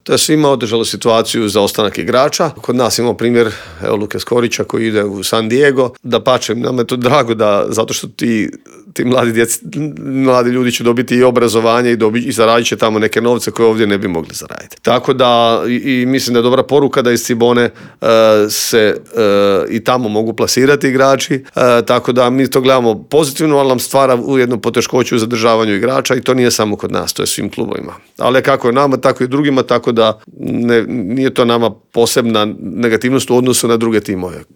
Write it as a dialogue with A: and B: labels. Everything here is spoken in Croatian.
A: To je svima otežalo situaciju za ostanak igrača. Kod nas imamo primjer Luke Skorića koji ide u San Diego. Dapače, nam je to drago zato što ti mladi ljudi će dobiti i obrazovanje i zaradit će tamo neke novce koje ovdje ne bi mogli zaraditi. Tako da i mislim da je dobra poruka da iz Cibone se i tamo mogu plasirati igrači. Tako da mi to gledamo pozitivno, ali nam stvara ujedno poteškoću u zadržavanju igrača i to nije samo kod nas, to je svim klubovima. Ali kako je nama, tako i drugima, tako da nije to nama posebna negativnost u odnosu na druge timove.